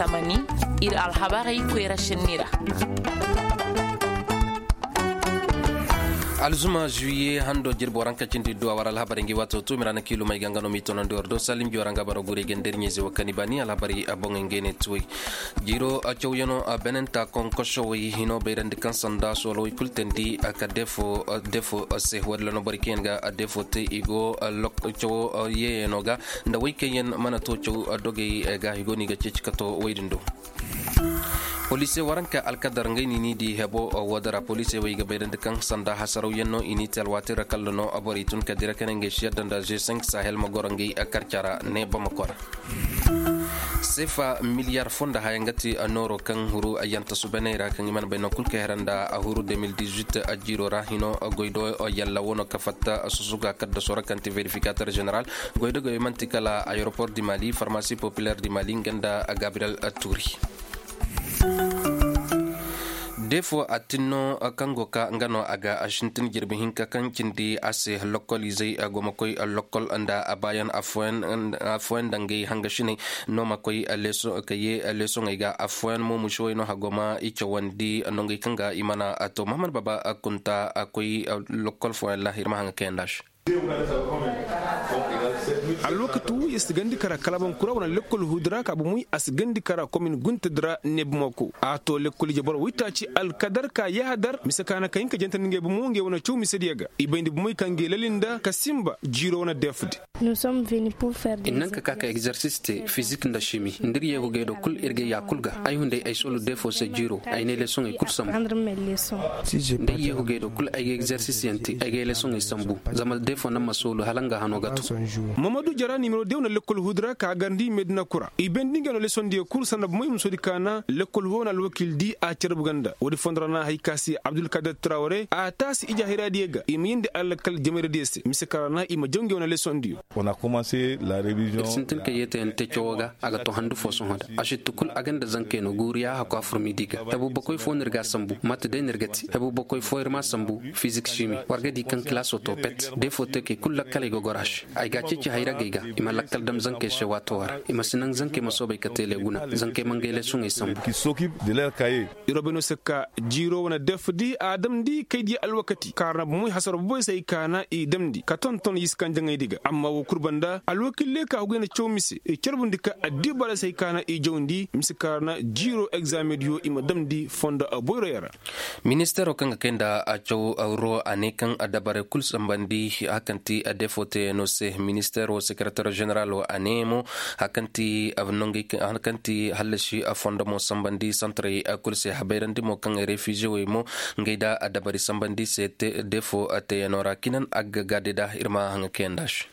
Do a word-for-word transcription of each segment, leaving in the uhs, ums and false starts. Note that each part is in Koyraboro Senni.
Tamani, ir alhabarey koyra šenni ra. Alzuma zuwiye hando jirbi waranka cindi duwa war alhabarey ngi waato tuumi ra na kiilumey ga nga no m'i tonandi war do salim jora nga bara gurey ga nda ir ɲeeze wo kani baani alhabarey a boŋey ngey ne tuwey. Jiiro cawyanoo benenta konkosowey hino bayrandi kaŋ sanda soolowey kul teendi ka defo se woodin ra no borey kaŋ yaŋ ga defo te i go cawo yeeyanoo ga nda wey kaŋ yaŋ mana to caw dogey ga i go no i ga ceeci ka to wey din do. Poliisey waranka alkadar ngey no i n'i di hebo woodin ra poliisey wey ga bayrandi kaŋ sanda hasarawyaŋ no i n'i te alwaati ra kalla no borey tun ka dira ka ne ngey si yadda nda ze cinq sahel ma goro ngey karca ra ne bamako ra. Seefa miliyar fo nda haya nga ti nooro kaŋ huru ayyanta subaney ra kaŋ i mana bay no kul ka hera nda a huru deux mille dix-huit jiiro ra hino goy do yalla wo no ka fatta susuga kadda sora kaŋ ti verifikater general. Goy do goy manti kala aeroport di mali farmasi populaire di mali nga nda gabriel turi. Defo a tinno kaŋ go ka nga no a ga a sintin jirbi hinka kaŋ cindi a se lokol izey a go ma koy lokol nda a baayan afooyaŋ nda ngey hangasiney no ma koy ka ye leesoŋey ga afooyaŋ mo musowey no hagoma i cawandi nongey kaŋ ga i mana a to mahamad baba kunta a koy lokol fooyaŋ ra ir ma haŋa kayanda se. Alwakatu ya si gandi kara kalaban kura wane lekkol hudu ra ka bomey a si gandi kara komin gunta dira ne bomey ko a to lekkol ije boro waytaaci alkadar ka yahadar mise ka na ka hin ka jantandi ngey bomo ngey wane caw misediyo ga i bayndi bomey ka ngey lali nda ka sinba jiiro wane deefdi. I naŋ ka ka ka egzersis te fizik nda simi nda ir yeehugey do kul ir ga ya kul ga ay hunday ay solu deefo se jiiro ay ne leesoŋey kul sambu. Nda ay yeehugey do kul ay ga egzersis yaŋ te ay ga ay leesoŋey sambu. Zama deefo naŋ ma soolu hala nga hano ga to. Mamadu jara nimero dew na lekkol hudura ka garndi medina kura i bendi ngey no leesondiyo kul sanda bomey musodi ka na lekkol ho na alwakil di a carbu ganda woodi fondo ra na hay ka se abdulkadir trawre a taasi ije hayraadiyo ga i ma yindi alakal jamayradiyo se mise ka ra na i ma jaw ngey wane leesondiyo. Ir sintin ka yeetayaŋ te cawo ga a ga to handu fo sohõ da a sitti kul a ga nda zankey no guuriya hakku a fur miidi ga hebu bakoy fo no ir ga a sambu mate day no ir ga te hebu bakoy fo ir m'a sambu fizik simi war ga di kaŋ kilaasoo to pet deefo teekey kul lakkaley ga goro a se ay ga a ceeci hayragey ga i ma lakkal dam zankey se waato ra i ma si naŋ zankey ma soobay ka teele guna zankey ma ngey leesoŋey sambu. Irobeno se ka jiiro wane def di a damndi kay di alwakati kaarna bomoy hasaro boboy se ay kaana i damndi ka tonton yiskanjaŋey di ga amma wo kul banda alwakille ka hugay na caw mise i carbundi ka addibaray se ay kaana i jawndi mise kaarna jiiro egzamediyo i ma damndi fondo boyroyaŋ ra. Ministeero kaŋ ga kay nda a caw ro a ne kaŋ a dabarey kul sambandi hakaŋ ti a defo teyaŋo se ministeero sekereter ženeral wo a ne mo hakaŋ ti nongey hakaŋ ti hallasi fondo mo sambandi santarey kul se habayrandi mo kaŋ refize wey mo ngey da a dabari sambandi se defo teyaŋo ra kinan a ga gaade da ir ma haŋa kayanda se.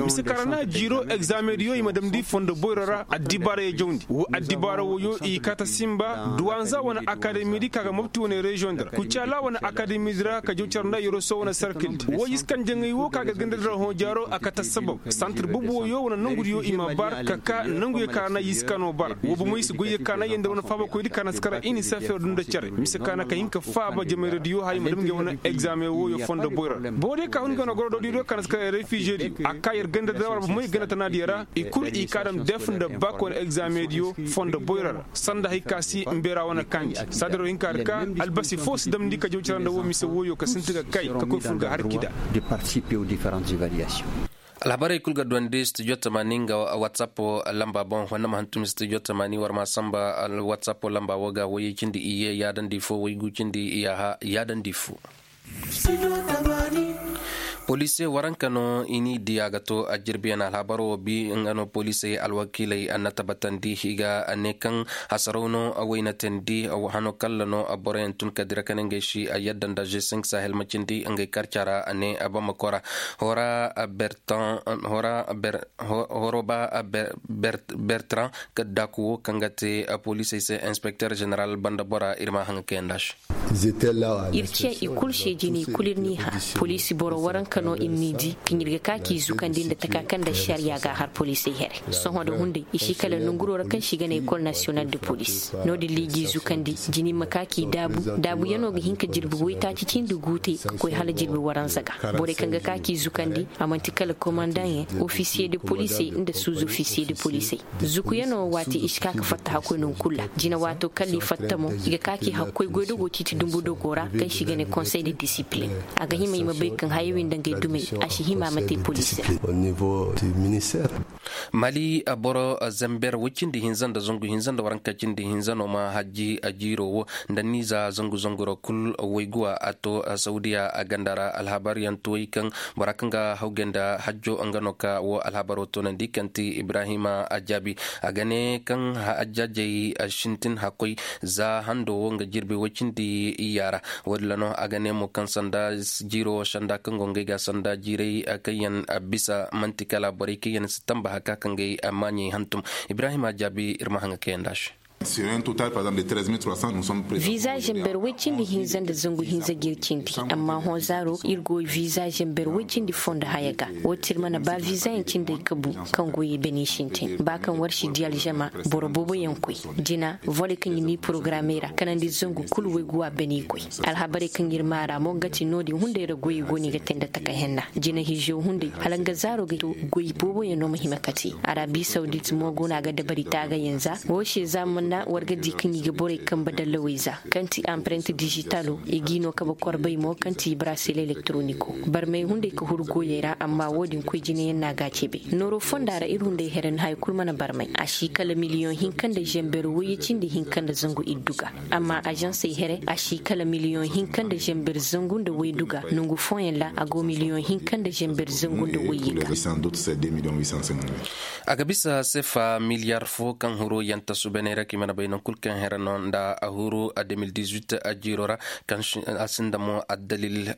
Mise kaŋ ra na jiiro egzamediyo i ma damndi fondo boyro ra addibaarayo jawndi wo addibaara woyo i kaata sinba duwanza wane akademi di ka ga mobti wane reziyoŋ di ra kucaala wane akademi di ra ka jaw care nda yoroso wane sarkil di wo yiskanjaŋey wo ka ga ganda di ra hõ jaaro a kata sabab santir bubu woyo wane nongudiyo i ma bar ka ka nonguyo ka ra na yiskano bar wo bomo i si goyyo ka na yanda wane faabakoydi ka na si kara inisefeer dunda care mise ka na ka hin ka faaba jamayradiyo haya ma dam ngey wane egzaameŋ woyo fondo boyro ra boro diyo ka hun ngey wane goro doodiyo diyo ka na si kara refize diyo a ka yer ganda dira war bomey ganda tanaadiyo ra i kul i ka dam def nda bak wane egzaameŋ diyo fondo boyro ra sanda hay ka si mbeera wane kaandi saadiro hinka ra ka albasi fo si damndi ka jaw cara nda wo mise woyo ka sinti ga kay ka koy fur ga har kida. Alhabarey kul ga duwandi studio tamaani nga whatsapp lamba boŋ honda ma hantum studio tamaani war ma samba whatsapp lamba wo ga woyey cindi iyye yaadandi fo woygu cindi iyaaha yaadandi fo. Poliisey waranka no i n'i diya ga to a jirbiyaŋ alhabar wo bi nga no poliisey alwakiiley a na tabatandi i ga ne kaŋ hasaraw no a wayna teendi hano kalla no a boroyaŋ tun ka dira ka ne ngey si a yadda nda g cinq sahel ma cindi ngey karca ra a ne a bamako ra hora bertan hora ber horoba bertrand ka daaku wo kaŋ ga te poliisey se inspekter ženeral banda bora ir ma haŋa kayanda se. Ir ce i kul se jine i kul ir n'i har poliisi boro waranka. Ka no ir n'i di kaŋ ir ga ka k'i zukandi nda taka kaŋ nda ašariya ga a har poliisey here. Sohõ nda hunday i si kala nonguro ra kaŋ se i ga ne ekol nasiyonal de poliis. No-din ra i g'i zukandi jina ir ma ka k'i daabu. Daabuyanoo ga hin ka jirbi waytaaci cindi gu te ka koy hala jirbi waranza ga. Borey kaŋ ga ka k'i zukandi a man'ti kala komandaŋyaŋ, ofisiye de poliisey nda suuzofisiye de poliisey. Zukuyanoo waati i si ka ka fatta hakkoy nangu kulu ra. Jina waatoo kala i fatta mo i ga ka k'i hakkoy goydogo ciiti dumbu dogo ra kaŋ se i ga ne konsey de disipilin. A ga hima i ma bay kaŋ hayawey nda ngey dumey a si hima a ma te poliisi ra. Mali boro zamber woy cindi hinza nda zangu hinza nda waranka cindi hinza no ma hajji a jiiro wo nda niiza zangu zangu ra kul. Wayguwa a to saudiya a ganda ra alhabar yaŋ tuway kaŋ bora kaŋ ga hawgay nda hajjo nga no ka wo alhabaro toonandi kaŋ ti ibrahima a jaabi. A ga ne kaŋ hajjajey sintin hakkoy za hando wo nga jirbi woy cindi iyya ra. Wo- din ra no a ga ne mo kaŋ sanda jiiro sanda kaŋ go ngey ga sanda jiiray kaŋ yaŋ bisa man'ti kala borey kaŋ yaŋ si tamba haka kaŋ gay maaɲey hantum. Ibrahima jaabi ir ma haŋa kaŋ yaŋ da se. Viza zember woy cindi hinza nda zangu hinza ga ir cindi. Amma hõ zaaro ir go viza zember woy cindi foo nda haya ga. Wo- din ir mana ba viza yaŋ cindey kabu kaŋ goyey bani sintin ba kaŋ war si di alžama boro boobo yaŋ koy. Jina vole kaŋ ir n'i porogaramey ra kanandi zangu kulu woy ga wa bani koy. Alhabarey kaŋ ir maa ra mo nga ti no- din hunday ra goyey go no i ga te nda taka henna. Jina hizo hunday hala nga zaaro ga to goy boobo yaŋ no ma hima ka te. Arabi sawdit mo go no a ga dabari taagayaŋ za. Wo se za mana war ga di kaŋ i ga borey kambe dallawey za kaŋ ti amparent dijitalo i g'i no kabe korbey mo kaŋ ti brasel elektoroniko. Barmey hunday ka huru goyey ra amma wo- din koy jinayaŋ no a ga a cebe. Nooro fonda ra ir hunday here no haya kul mana barmay a si kala miliyoŋ hinka nda zember woyye cindi hinka nda zangu iddu ga. Amma azansey here a si kala miliyoŋ hinka nda zember zangu nda woydu ga nangu fooyaŋ ra a go miliyoŋ hinka nda zember zangu nda woyye ga. A ga bisa sefa miliyar fo kaŋ huru yanta subeney ra kaŋ i mana bay naŋ kul kaŋ here no nda a huru a de mil dix-huit a jiiro ra. Kaŋ a sinda mo addalil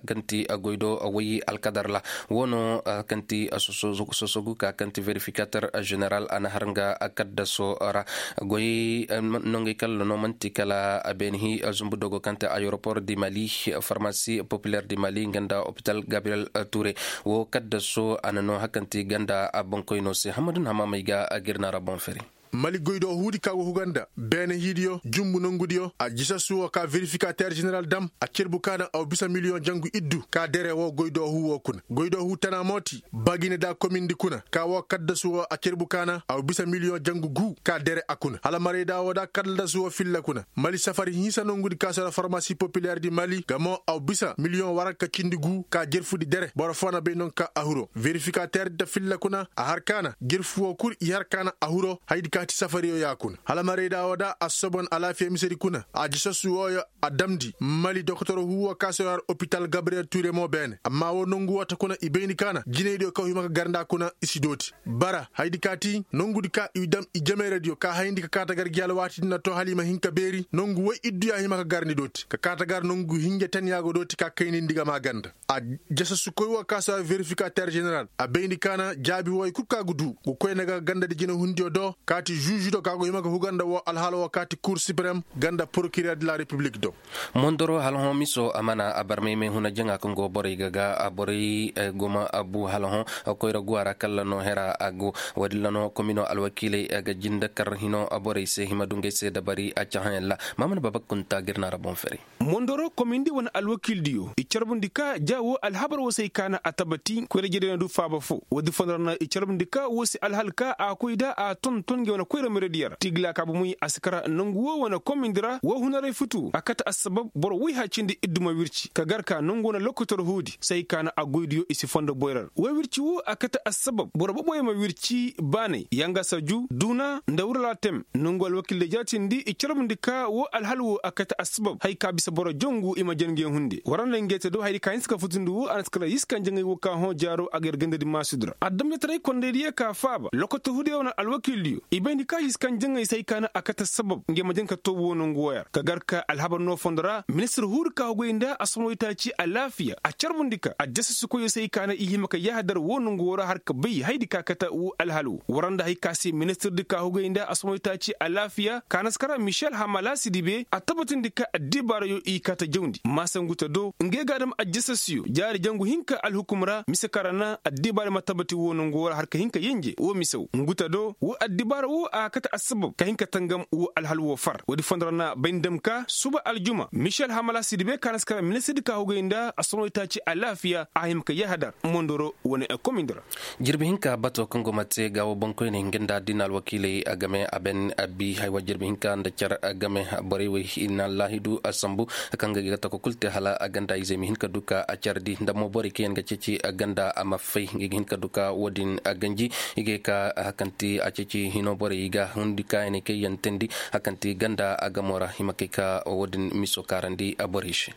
kaŋ ti a goy do a way alkadar ra. Wo no kaŋ ti sosogu ka kaŋ ti verifikater general a na har nga kaddaso ra. Goy nongey kala no manti kala a beeni hi zumbu dogo kaŋ ti ayeropor di mali, farmasi populer di mali nga nda hopital gabriel ture. Wo kaddaso a na no hakanti ganda a bankoyno se hamadun hamamey ga a girna ra boŋ feri. Mali goy do huudi ka go huga nda beene hiidiyo jumbu nongudiyo a jisassu wo ka verifikater general dam a cerbu ka na aw bisa miliyoŋ jangu iddu ka dere wo goy do huu wo kuna goy do huu tana mooti bagine da komindi kuna ka wo kaddasu wo a cerbu ka na aw bisa miliyoŋ jangu guu ka dere a kuna hala marayda wo da kaddasu wo filla kuna mali safari hinsa nongudi ka sara farmasi populer di mali ga mo aw bisa miliyoŋ waranka cindi guu ka jerfudi dere boro foo na bay non ka a huro verifikater di ta filla kuna a har ka na jerfu wo kul i har ka na a huro haydi ka ti safariyo ya kuna hala marayda wo da a sobon alaafiya misedi kuna a jisassu wooyo a damndi mali doktor huuwo ka se war opital gabriyel ture mo beene amma wo nongu wata kuna i bayndi ka na jinaydiyo kaw hima ka gar nda kuna i si dooti bara haydi ka ti nongudi ka i dam i jameeradiyo ka hayndi ka kaata gar gi alwaatidi na to hala i ma hin ka beeri nongu woy iddu ya hima ka gar ni dooti ka kaata gar nongu hinja tan ya go dooti ka kaynindi ga maa ganda a jasassukoy wo ka se war verifikater general a bayndi ka na jaabi woy kul ka ga du ga koy na ga gandadi jinahundiyo do kaati žužudo ka go hima ga huga nda wo alhaala wo kaati kur siprem ganda porokiriyar de la repiblik do. Mondoro hala hõ miso a mana a barmay may huna jaŋa kaŋ go borey ga ga a borey guma a bu hala hõ koyra guwa ra kalla no hera a go. Wo- din ra no komino alwakiiley ga jinde kar hino borey se hima dungey se dabari a cahãyaŋ ra. Maamana baba kunta ga ir na ra boŋ fari. Mondoro komindi wane alwakiildiyo i carbundi ka ja wo alhabar wo se ay kaana a tabati koyra jere na du faaba fo wo- din fondo ra na i carbundi ka wo se alhal ka a koy da a tonton ngey wane koyra merediyo ra tigla ka bumoy a si kara nangu wo wane komindi ra wo hunaray futu a kate assabab boro woy hacindi iddu ma wirci ka gar ka nangu wane lokotor huudi se ay kaana a goydiyo i si fondo boyra ra wo wirci wo a kate assabab boro boboyo ma wirci baanay yanga saju duuna nda wurala tem nangu alwakiildiyo jaatindi i carbundi ka wo alhal wo a kate assabab hay ka bisa boro jongu i ma jangu yaŋ hunde war nda ngey te do hayadi ka hinsa ka futundi wo a na si kala yiskaŋ jaŋay wo ka hõ jaaro a ga yar gandadi maasudi ra adamjataray kondaydiyo ka faaba lokotor huudiyo wane alwakiildiyo i bay Indi kaajis kaŋ jaŋay se ay kaana a kate sabab ngey ma jaŋ ka too woo nangu wooyar ka gar ka alhabar no fondo ra ministir huuri ka hugay nda asomawitaaci alaafiya a carbundi ka addasasikoyoo se ay kaana i hima ka yahadar woo nangu woo ra har ka bay haydi ka kate woo alhal woo war nda hay ka se ministirdi ka hugay nda asomawitaaci alaafiya kaanaskara michel hamalaasi dibe a tabatindi ka addibaarayoo i kate jawndi maasa ngu te do ngey ga a dam addasasiyo jaari jangu hinka alhukum ra mise kaŋ ra na addibaarayoo ma tabati woo nangu woo ra har ka hin ka yenje woo mise woo ngu te do woo addibaara woo a kate assabab ka hin ka tangam woo alhal woo far woodi fondo ra na bay nda ma ka suba aljuma michel hamala sidibe kaŋ a na si kara ministirdi ka hugay nda assonoytaaci alaafiya a hima ka yahadar mondoro wane komindi ra. Jirbi hinka bato kaŋ go ma te gaawo boŋkoyney nga nda addiina alwakiiley a game a ben a bi haywa jirbi hinka nda car game borey wey i na allaahidu a sambu kaŋ ga ga taka kul te hala a ganda izey ma hin ka du ka a cardi nda mo borey kaŋ yaŋ ga ceeci a ganda a ma fay nga ga hin ka du ka woodin a ganji. I ga ye ka hakanti a ceeci hino borey ga hundi kaayaney kaŋ yaŋ teendi hakanti ganda a gamo ra i ma kay ka woodin miso kaarandi a borey se.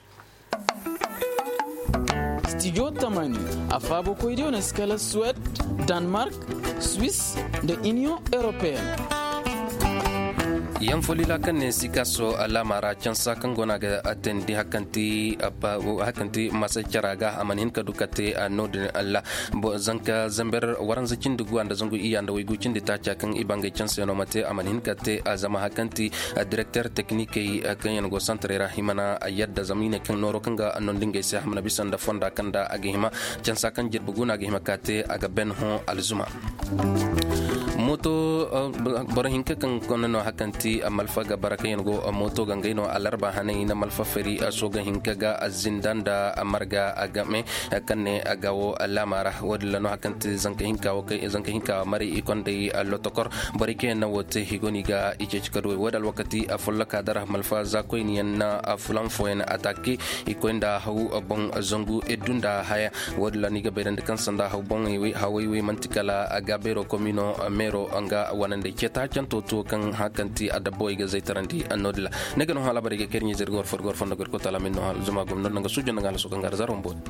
Studio tamani a faabokoydiyo na si kala suwed, danmark, swiss, nda iniyoŋ europeen. Yaŋ folila kaŋ ne sikaso alaama ra cansa kaŋ go no a ga teendi hakanti masa cara ga a mana hin ka du ka te no-din alla. Zanka zamber waranza cindi guwa nda zangu iyya nda waygu cindi taaca kaŋ i bangay canse no ma te a mana hin ka te zama hakanti direkter teknikey kaŋ yaŋ go santarey ra i mana yadda zama i ne kaŋ nooro kaŋ ga nondi ngey se a mana bisa nda fonda kaŋ nda a ga hima cansa kaŋ jirbi guna a ga hima ka te a ga ben hõ alzuma. Moto boro hinka kaŋ kone no hakanti malfa ga bara kaŋ yaŋ go moto ga ngey no alarba hanay na malfa fari soga hinka ga zinda nda marga a game kaŋ ne a ga wo laama ra woodin ra no hakanti zanka hinka wo kay zanka hinka mari i konday lotokor borey kaŋ yaŋ na wo te i go no i ga i ceeci ka duwey woodin alwakati folloka dara malfa za koyni yaŋ na fulan fooyaŋ atake i koy nda haw boŋ zangu iddu nda haya. Woodin ra no i ga bayrandi kaŋ sanda hawey wey manti kala a ga beero komino meero nga wanandey ceeta canto to kaŋ hakanti adabbawey ga zaytarandi no-din ra. Ne ga no hã alaabarey ga kay ir ɲizey ir ga war fo ir ga war fondo ga ir koy taala min no hã alzuma gomno nda nga suujo nda nga halaso kaŋ ga ra zaro mboodi.